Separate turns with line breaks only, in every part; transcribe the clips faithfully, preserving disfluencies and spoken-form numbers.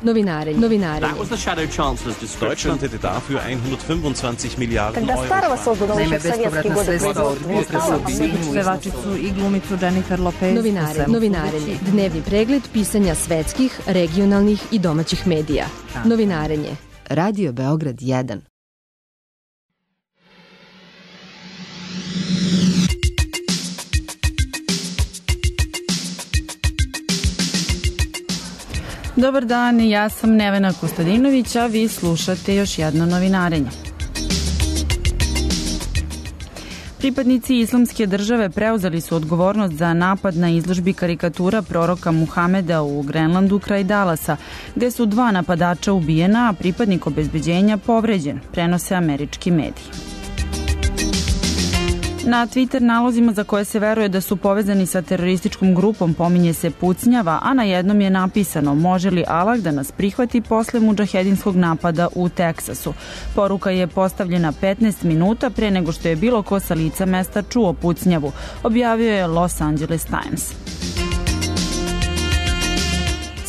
Novinarenje. Novinarenje.
That was the Shadow Chancellor's description.
Deutschland hätte dafür hundertfünfundzwanzig Milliarden
Когда
Euro.
Старого создано
Naime, bespovratna sredstva od dvije trgovine pevačicu i glumicu Jennifer Lopez.
Novinarenje. Novinarenje. Dnevni pregled pisanja svetskih, regionalnih i domaćih medija. Novinarenje. Radio Beograd jedan.
Dobar dan, ja sam Nevena Kostadinović, a vi slušate još jedno novinarenje. Pripadnici Islamske države preuzeli su odgovornost za napad na izložbi karikatura proroka Muhameda u Grenlandu kraj Dallasa, gde su dva napadača ubijena, a pripadnik obezbeđenja povređen, prenose američki mediji. Na Twitter nalozima za koje se veruje da su povezani sa terorističkom grupom pominje se pucnjava, a na jednom je napisano: može li Allah da nas prihvati posle mudžahedinskog napada u Teksasu. Poruka je postavljena petnaest minuta pre nego što je bilo ko sa lica mesta čuo pucnjavu, objavio je Los Angeles Times.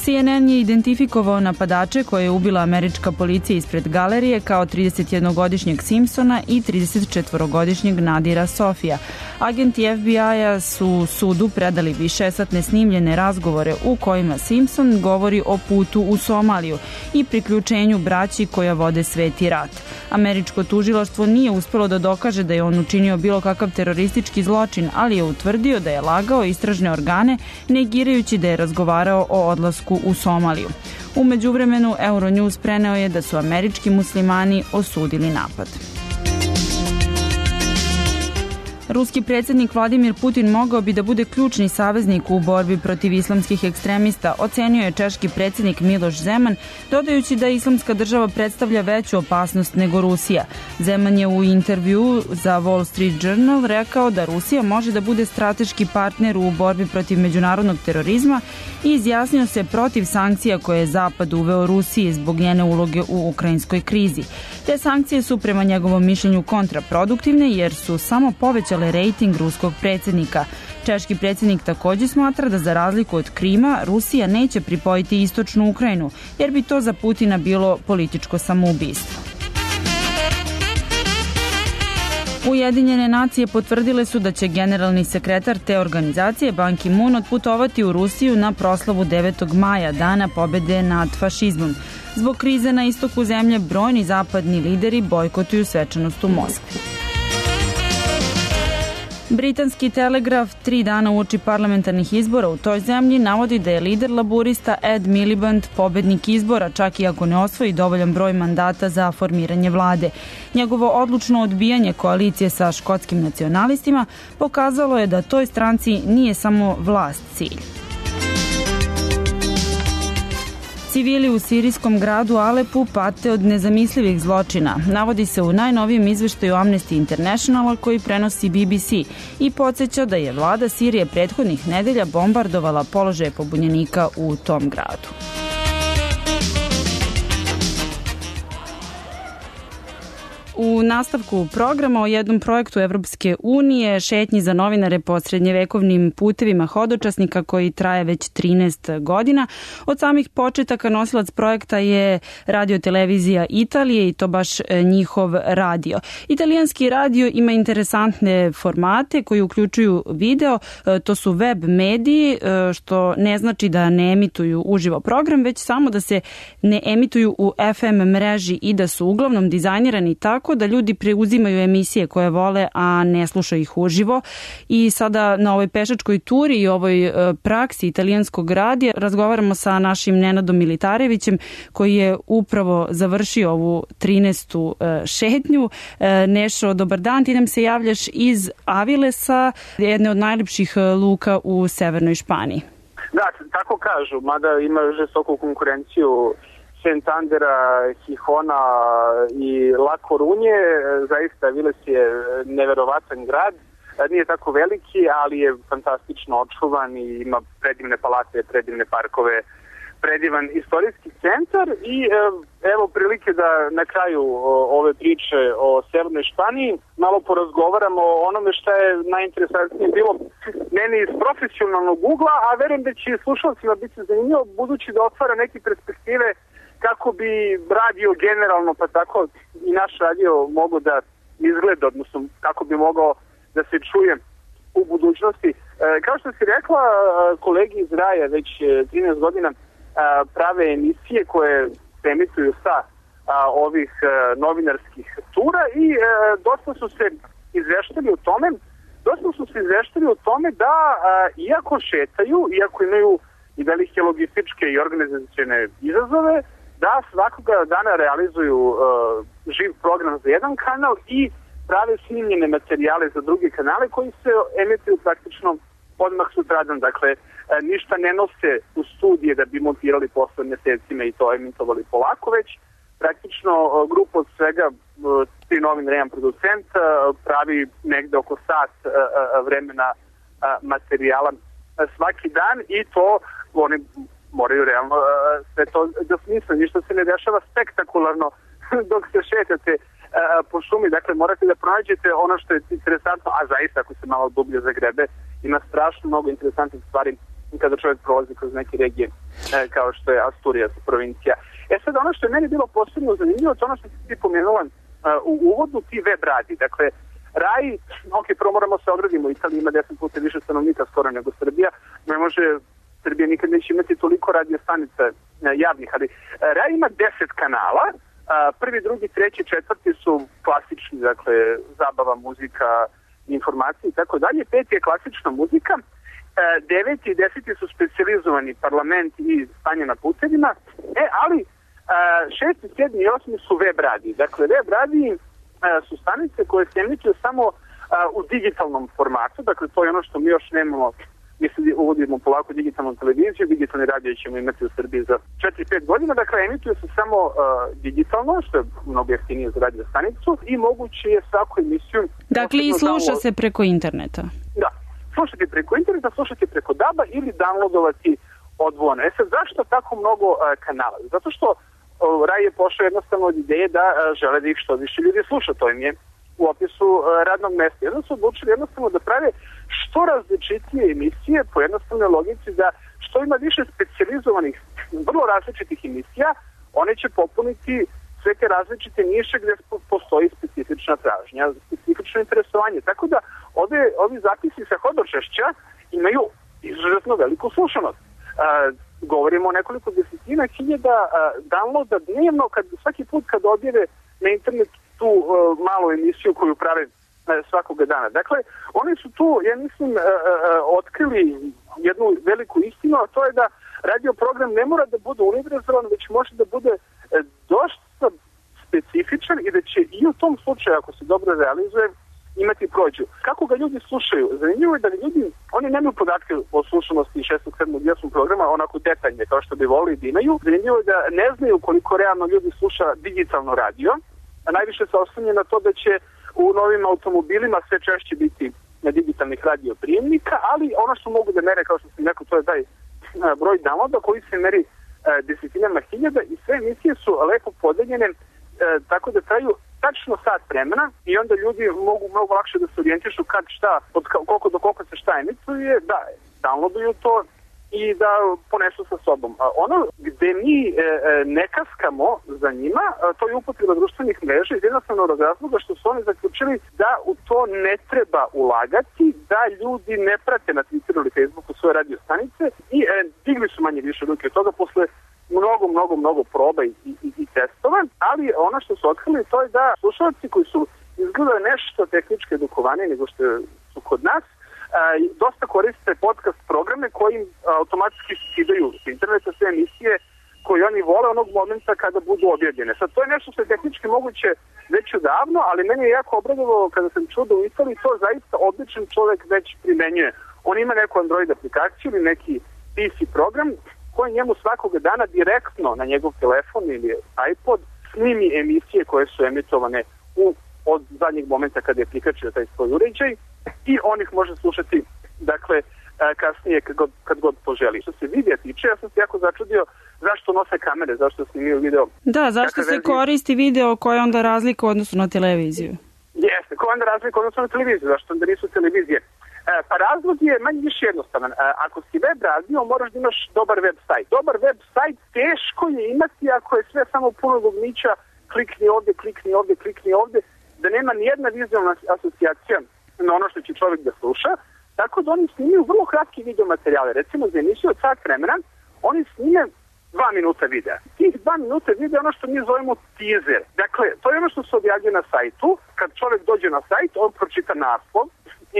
C N N je identifikovao napadače koje je ubila američka policija ispred galerije kao tridesetjednogodišnjeg Simpsona i tridesetčetvorogodišnjeg Nadira Sofija. Agenti F B I-a su sudu predali višesatne snimljene razgovore u kojima Simpson govori o putu u Somaliju i priključenju braći koja vode sveti rat. Američko tužilaštvo nije uspelo da dokaže da je on učinio bilo kakav teroristički zločin, ali je utvrdio da je lagao istražne organe, negirajući da je razgovarao o odlasku u Somaliju. U međuvremenu Euronews preneo je da su američki muslimani osudili napad. Ruski predsjednik Vladimir Putin mogao bi da bude ključni saveznik u borbi protiv islamskih ekstremista, ocenio je češki predsjednik Miloš Zeman, dodajući da islamska država predstavlja veću opasnost nego Rusija. Zeman je u intervjuu za Wall Street Journal rekao da Rusija može da bude strateški partner u borbi protiv međunarodnog terorizma i izjasnio se protiv sankcija koje je Zapad uveo Rusiji zbog njene uloge u ukrajinskoj krizi. Te sankcije su prema njegovom mišljenju kontraproduktivne jer su samo povećale rejting ruskog predsjednika. Češki predsjednik također smatra da za razliku od Krima, Rusija neće pripojiti istočnu Ukrajinu, jer bi to za Putina bilo političko samoubistvo. Ujedinjene nacije potvrdile su da će generalni sekretar te organizacije Ban Ki-moon otputovati u Rusiju na proslavu devetog maja, dana pobede nad fašizmom. Zbog krize na istoku zemlje, brojni zapadni lideri bojkotuju svečanost u Moskvi. Britanski Telegraf tri dana uoči parlamentarnih izbora u toj zemlji navodi da je lider laburista Ed Miliband pobednik izbora, čak i ako ne osvoji dovoljan broj mandata za formiranje vlade. Njegovo odlučno odbijanje koalicije sa škotskim nacionalistima pokazalo je da toj stranci nije samo vlast cilj. Civili u sirijskom gradu Alepu pate od nezamislivih zločina, navodi se u najnovijem izveštaju Amnesty Internationala koji prenosi B B C i podsjeća da je vlada Sirije prethodnih nedelja bombardovala položaje pobunjenika u tom gradu. U nastavku programa o jednom projektu Evropske unije, šetnji za novinare po srednjevekovnim putevima hodočasnika koji traje već trinaest godina. Od samih početaka nosilac projekta je Radio-televizija Italije i to baš njihov radio. Italijanski radio ima interesantne formate koji uključuju video, to su web mediji, što ne znači da ne emituju uživo program, već samo da se ne emituju u F M mreži i da su uglavnom dizajnirani tako da ljudi preuzimaju emisije koje vole, a ne slušaju ih uživo. I sada na ovoj pešačkoj turi i ovoj praksi italijanskog radija razgovaramo sa našim Nenadom Militarevićem koji je upravo završio ovu trinaestu šetnju. Nešo, dobar dan, ti nam se javljaš iz Avilesa, jedne od najljepših luka u severnoj Španiji.
Da, tako kažu, mada ima žestoku konkurenciju Santandera, Gijona i La Corunje. Zaista Aviles je neverovatan grad, nije tako veliki, ali je fantastično očuvan i ima predivne palate, predivne parkove predivan istorijski centar i evo prilike da na kraju ove priče o Severnoj Španiji malo porazgovaramo o onome što je najinteresantnije bilo meni iz profesionalnog ugla, a verujem da će slušalcima biti zanimljivo budući da otvara neke perspektive kako bi radio generalno, pa tako i naš radio mogo da izgleda, odnosno kako bi mogao da se čuje u budućnosti. E, kao što si rekla, kolegi iz Raja već trinaest godina a, prave emisije koje se emituju sa a, ovih a, novinarskih tura i a, dosta su se izveštali o tome, dosta su se izveštali o tome da a, iako šetaju, iako imaju i velike logističke i organizacione izazove, da svakoga dana realizuju uh, živ program za jedan kanal i prave snimljene materijale za druge kanale koji se emituju praktično odmah sutradan. Dakle, uh, ništa ne nose u studije da bi montirali posle mesecima i to emitovali polako, već praktično uh, grupa od svega, uh, tri novinara, jedan producent, uh, pravi negde oko sat uh, uh, vremena uh, materijala uh, svaki dan i to oni moraju realno uh, sve to da smisle, ništa se ne dešava spektakularno dok se šetate uh, po šumi, dakle morate da pronađete ono što je interesantno, a zaista ako se malo dublje zagrebe, ima strašno mnogo interesantnih stvari kada čovjek prolazi kroz neke regije uh, kao što je Asturias, provincija. E sad ono što je meni bilo posebno zanimljivo, to ono što si ti pomenula uh, u uvodu, ti web radi, dakle Raj, ok, prvo moramo se odradimo, Italija ima deset puta više stanovnika skoro nego Srbija, ne može Srbija nikad neće imati toliko radio stanica javnih, ali Raj ima deset kanala, prvi, drugi, treći, četvrti su klasični, dakle, zabava, muzika, informacije i tako dalje, peti je klasična muzika, deveti i deseti su specijalizovani parlament i stanje na putevima, e, ali šesti, sedmi i osmi su web radiji. Dakle, web radiji su stanice koje se emituju samo u digitalnom formatu, dakle, to je ono što mi još nemamo. Mi se uvodimo polako digitalnu televiziju, digitalni radio ćemo imati u Srbiji za četiri pet godina, dakle emituju se samo uh, digitalno, što je mnogo jeftinije za radio stanicu i moguće je svaku emisiju...
Dakle i sluša se preko interneta.
Da, slušati preko interneta, slušati preko daba ili downloadovati odvojeno. E sad, zašto tako mnogo uh, kanala? Zato što uh, Raj je pošao jednostavno od ideje da uh, žele da ih što više ljudi sluša, to im je u opisu uh, radnog mesta. Jedno su odlučili jednostavno da prave što različitije emisije po jednostavnoj logici da što ima više specijalizovanih, vrlo različitih emisija, one će popuniti sve te različite niše gde postoji specifična tražnja, specifično interesovanje. Tako da ove, ovi zapisi sa hodočešća imaju izuzetno veliku slušanost. Uh, govorimo o nekoliko desetina hiljada uh, downloada dnevno, kad, svaki put kad objave na internetu tu uh, malu emisiju koju prave svakoga dana. Dakle, oni su tu, ja mislim, uh, uh, otkrili jednu veliku istinu, a to je da radio program ne mora da bude univerzalan, već može da bude uh, dosta specifičan i da će i u tom slučaju, ako se dobro realizuje, imati prođu. Kako ga ljudi slušaju? Zanimljivo je da ljudi, oni nemaju podatke o slušanosti šestog, sedmog i osmog programa onako detaljne kao što bi volili da imaju. Zanimljivo je da ne znaju koliko realno ljudi sluša digitalno radio, a najviše se oslanja na to da će u novim automobilima sve češće biti na digitalnih radio prijemnika, ali ono što mogu da mere, kao što sam rekao, to je taj broj downloada koji se meri desetinama hiljada i sve emisije su lepo podeljene tako da traju tačno sat vremena i onda ljudi mogu mnogo lakše da se orijentišu kad šta, od koliko do koliko se šta emituje, da downloaduju to i da ponesu sa sobom. Ono gde mi e, ne kaskamo za njima, to je upotreba društvenih mreža iz jednostavnog razloga što su oni zaključili da u to ne treba ulagati, da ljudi ne prate na Twitteru ili Facebooku svoje radio stanice i e, digli su manje više ruke od toga posle mnogo, mnogo, mnogo proba i, i, i testova, ali ono što su otkrili to je da slušalci koji su izgledali nešto tehnički edukovaniji nego što su kod nas, Uh, dosta koriste podcast programe koji uh, automatski skidaju s interneta sve emisije koje oni vole onog momenta kada budu objavljene. Sad, to je nešto što je tehnički moguće već odavno, ali meni je jako obradovalo kada sam čuo da u Italiji to zaista odličan čovjek već primenjuje. On ima neku Android aplikaciju ili neki P C program koji njemu svakoga dana direktno na njegov telefon ili iPod snimi emisije koje su emitovane u od zadnjeg momenta kada je prikačio taj svoj uređaj i on ih može slušati, dakle, kasnije kad god, kad god poželi. Što se videa tiče, ja sam se jako začudio zašto nose kamere, zašto snimaju video.
Da, zašto se koristi video koja je onda razlika u odnosu na televiziju?
Jeste, koja je onda razlika u odnosu na televiziju, zašto onda nisu televizije? E, pa razlog je manje više jednostavan. E, ako si web radio, moraš da imaš dobar web sajt. Dobar web sajt teško je imati ako je sve samo puno dugmića, klikni ovde, klikni ovde, klikni ovde, da nema nijedna vizualna asocijacija na ono što će čovjek da sluša. Tako da oni snimaju vrlo kratki video materijale. Recimo za emisiju od sat vremena, oni snime dva minuta videa. Tih dva minuta videa je ono što mi zovemo teaser. Dakle, to je ono što se objavljuje na sajtu. Kad čovjek dođe na sajt, on pročita naslov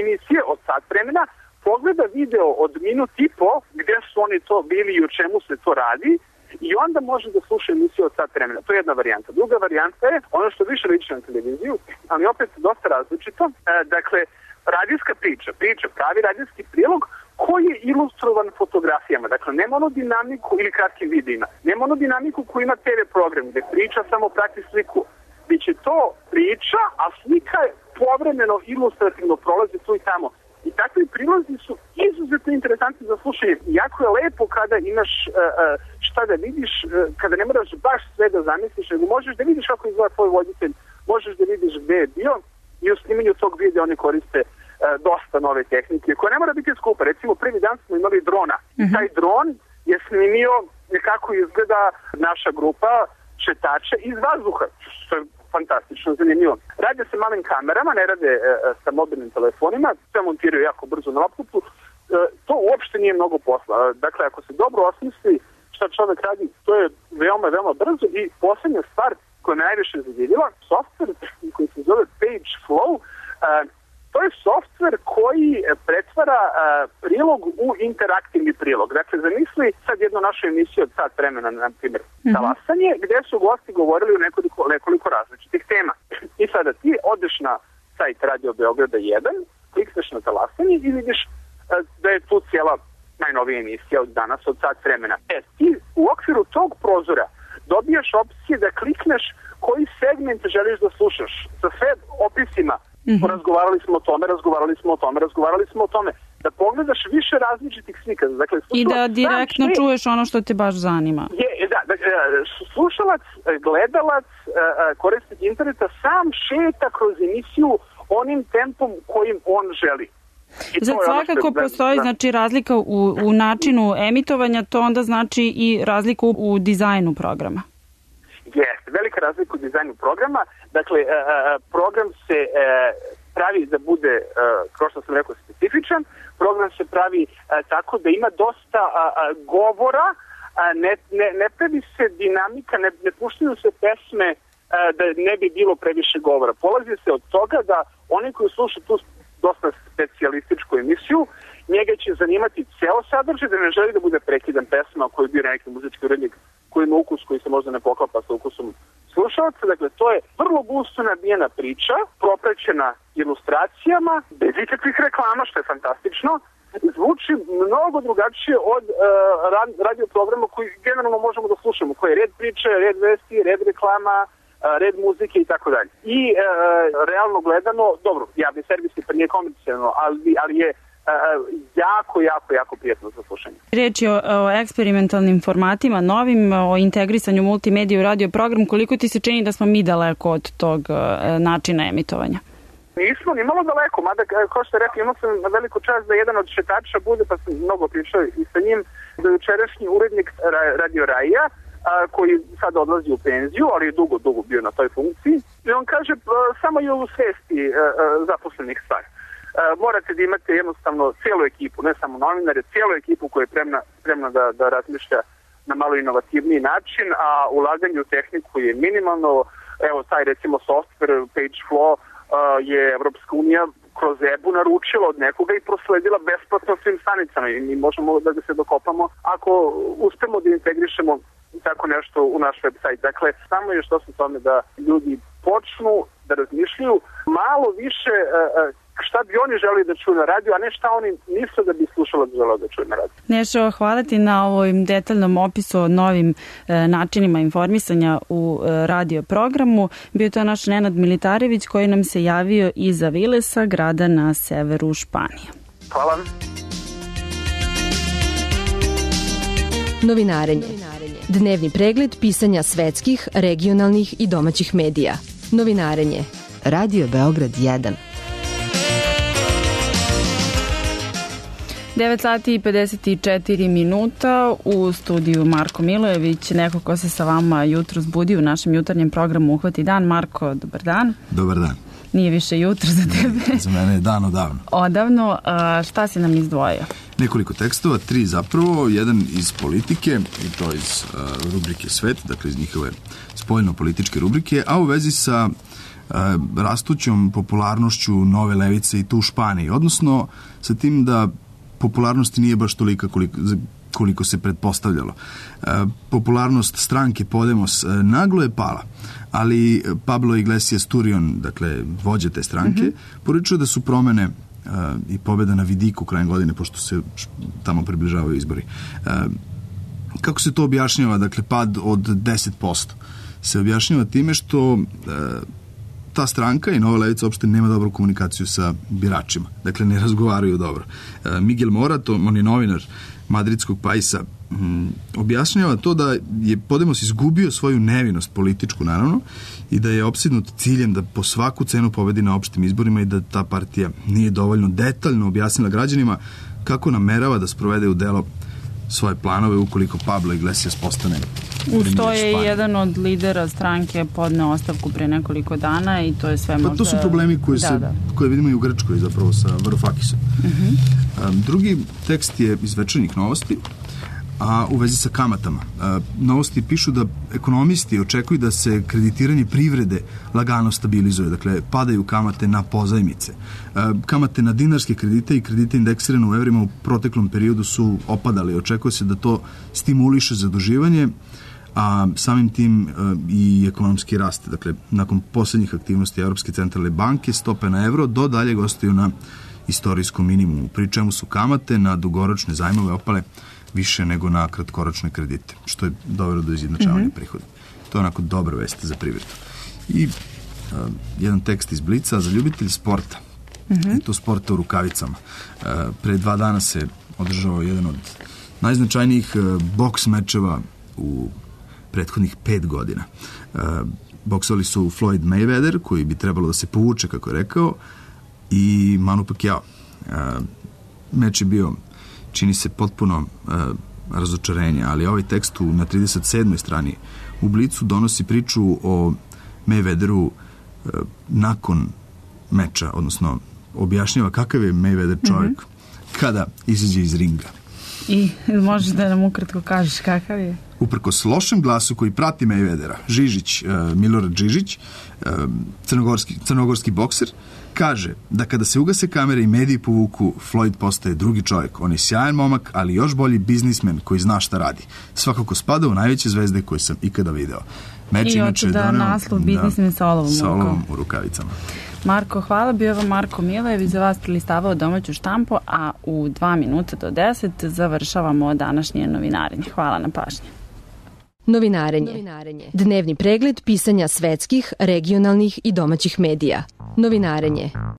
emisije od sat vremena, pogleda video od minut i po, gde su oni to bili i u čemu se to radi, i onda može da sluša emisiju od sat vremena. To je jedna varijanta. Druga varijanta je ono što više liči na televiziju, ali opet dosta različito. E, dakle, radijska priča, priča, pravi radijski prilog koji je ilustrovan fotografijama. Dakle, nema ono dinamiku ili kratkim videima. Nema ono dinamiku koji ima te ve program, gde priča samo prati sliku. Biće to priča, a slika je povremeno ilustrativno prolazi tu i tamo. I takvi prilozi su izuzetno interesantni za slušanje. Jako je lepo kada imaš uh, uh, šta da vidiš, uh, kada ne moraš baš sve da zamisliš, nego možeš da vidiš kako izgleda tvoj voditelj, možeš da vidiš gde je bio, i u snimanju tog videa oni koriste uh, dosta nove tehnike, koja ne mora biti skupa. Recimo, prvi dan smo imali drona. Mm-hmm. Taj dron je snimio kako izgleda naša grupa šetača iz vazduha, što je fantastično, zanimljivo. Rade se malim kamerama, ne rade e, sa mobilnim telefonima, sve montiraju jako brzo na laptopu. E, to uopšte nije mnogo posla. Dakle, ako se dobro osmisli šta čovjek radi, to je veoma, veoma brzo. I poslednja stvar koja me najviše zadivila, software koji se zove PageFlow, e, to je software koji pretvara a, prilog u interaktivni prilog. Dakle, zamisli sad jednu našu emisiju od sat vremena, na primjer, mm-hmm. talasanje, gde su gosti govorili o nekoliko, nekoliko različitih tema. I sada ti odeš na sajt Radio Beograda jedan, klikneš na talasanje i vidiš a, da je tu cijela najnovija emisija od danas od sat vremena. E, ti u okviru tog prozora dobijaš opcije da klikneš koji segment želiš da slušaš sa sve opisima. Mm-hmm. Razgovarali smo o tome, razgovarali smo o tome, razgovarali smo o tome. Da pogledaš više različitih slika. Dakle,
i da direktno sve čuješ ono što te baš zanima.
Je, da, da, slušalac, gledalac, korisnik interneta sam šeta kroz emisiju onim tempom kojim on želi.
Zato svakako je, postoji da, znači, razlika u, u načinu emitovanja, to onda znači i razliku u dizajnu programa.
Jeste, velika razlika u dizajnu programa. Dakle, program se pravi da bude, kao što sam rekao, specifičan. Program se pravi tako da ima dosta govora, ne, ne, ne pravi se dinamika, ne, ne puštaju se pesme da ne bi bilo previše govora. Polazi se od toga da oni koji slušaju tu dosta specijalističku emisiju, njega će zanimati ceo sadržaj, da ne želi da bude prekidan pesma koji bira neki muzički urednik koji ima ukus koji se možda ne poklapa sa ukusom slušalca. Dakle, to je vrlo gusto nabijena priča, propraćena ilustracijama, bez ikakvih reklama, što je fantastično. Zvuči mnogo drugačije od uh, radio programa koji generalno možemo da slušamo, koji je red priče, red vesti, red reklama, uh, red muzike i tako dalje. I uh, realno gledano, dobro, javni servis je pa nije komercijalno, ali, ali je jako, jako, jako prijatno za slušanje.
Reč je o, o eksperimentalnim formatima, novim, o integrisanju multimedije u radio program. Koliko ti se čini da smo mi daleko od tog uh, načina emitovanja?
Nismo ni malo daleko, mada kao što rekli, imao sam veliku čast da jedan od šetača bude, pa sam mnogo pričao i sa njim, da je jučerašnji urednik Radio Raija, a, koji sad odlazi u penziju, ali je dugo, dugo bio na toj funkciji. I on kaže, a, samo je u svesti a, a, zaposlenih stvari. Uh, morate da imate jednostavno cijelu ekipu, ne samo novinare, cijelu ekipu koja je spremna, spremna da, da razmišlja na malo inovativniji način, a ulaganje u tehniku je minimalno. Evo, taj recimo software PageFlow uh, je Evropska unija kroz E B U naručila od nekoga i prosledila besplatno svim stanicama i mi možemo da ga se dokopamo ako uspemo da integrišemo tako nešto u naš website. Dakle, samo je što se tome da ljudi počnu da razmišljaju malo više uh, šta bi oni želi da čuju na radiju, a ne šta oni misle da bi slušalac želeo da čuju na radiju.
Nešo, hvala ti na ovom detaljnom opisu o novim e, načinima informisanja u e, radio programu. Bio to naš Nenad Militarević koji nam se javio iz Avilesa, grada na severu Španije.
Hvala.
Novinarenje. Dnevni pregled pisanja svetskih, regionalnih i domaćih medija. Novinarenje. Radio Beograd jedan.
devet sati i pedeset četiri minuta, u studiju Marko Milojević, neko ko se sa vama jutro zbudi u našem jutarnjem programu Uhvati dan. Marko, dobar dan.
Dobar dan.
Nije više jutro za tebe.
Za mene je dan odavno.
Odavno. A šta si nam izdvojio?
Nekoliko tekstova, tri zapravo, jedan iz politike, i to iz uh, rubrike Svet, dakle iz njihove spoljno-političke rubrike, a u vezi sa uh, rastućom popularnošću nove levice i to u Španiji, odnosno sa tim da popularnosti nije baš tolika koliko, koliko se pretpostavljalo. Uh, popularnost stranke Podemos uh, naglo je pala, ali Pablo Iglesias Turion, dakle vođa te stranke, mm-hmm. poručuje da su promene uh, i pobjeda na vidiku krajem godine, pošto se tamo približavaju izbori. Uh, kako se to objašnjava? Dakle, pad od deset posto se objašnjava time što uh, ta stranka i Nova levica uopšte nema dobru komunikaciju sa biračima. Dakle, ne razgovaraju dobro. Uh, Miguel Morat, on je novinar madridskog Paisa, um, objašnjava to da je Podemos izgubio svoju nevinost političku, naravno, i da je opsednut ciljem da po svaku cenu pobedi na opštim izborima i da ta partija nije dovoljno detaljno objasnila građanima kako namerava da sprovede u delo svoje planove ukoliko Pablo Iglesias postane
Uz to je jedan od lidera stranke podneo ostavku pre nekoliko dana i to je sve možda...
Pa to su problemi koji,
da,
se,
da.
koje vidimo i u Grčkoj zapravo sa Varoufakisom.
Uh-huh.
Um, drugi tekst je iz Večernjih novosti, a u vezi sa kamatama. Uh, novosti pišu da ekonomisti očekuju da se kreditiranje privrede lagano stabilizuje, dakle padaju kamate na pozajmice. Uh, kamate na dinarske kredite i kredite indeksirane u evrima u proteklom periodu su opadali. Očekuje se da to stimuliše zaduživanje, a samim tim uh, i ekonomski rast. Dakle, nakon posljednjih aktivnosti Europske centralne banke, stope na evro do dalje ostaju na istorijskom minimumu, pri čemu su kamate na dugoročne zajmove opale više nego na kratkoročne kredite, što je dovelo do izjednačavanja mm-hmm. prihoda. To je onako dobra vest za privredu. I uh, jedan tekst iz Blica za ljubitelj sporta. Mm-hmm. I to sporta u rukavicama. Uh, pre dva dana se održao jedan od najznačajnijih uh, boks mečeva u prethodnih pet godina. Uh, boksali su Floyd Mayweather, koji bi trebalo da se povuče, kako je rekao, i Manu Pacquiao. Uh, meč je bio, čini se, potpuno uh, razočarenje, ali ovaj tekst u, na trideset sedmoj strani u Blicu donosi priču o Mayweatheru uh, nakon meča, odnosno objašnjava kakav je Mayweather čovjek mm-hmm. kada izađe iz ringa.
I možeš da nam ukratko kažeš kakav je?
Uprkos lošem glasu koji prati Mayweathera, Žižić, uh, Milorad Žižić, uh, crnogorski, crnogorski bokser, kaže da kada se ugase kamere i mediji povuku, Floyd postaje drugi čovjek. On je sjajan momak, ali još bolji biznismen koji zna šta radi. Svakako spada u najveće zvezde koje sam ikada video. Meč
I
inače
da
doneo
naslov biznismen sa olovom,
sa olovom u rukavicama.
Marko, hvala. Bio vam Marko Milojević, za vas prilistavao domaću štampu, a u dva minuta do deset završavamo današnje novinarenje. Hvala na pažnji.
Novinarenje. Novinarenje. Dnevni pregled pisanja svetskih, regionalnih i domaćih medija. Novinarenje.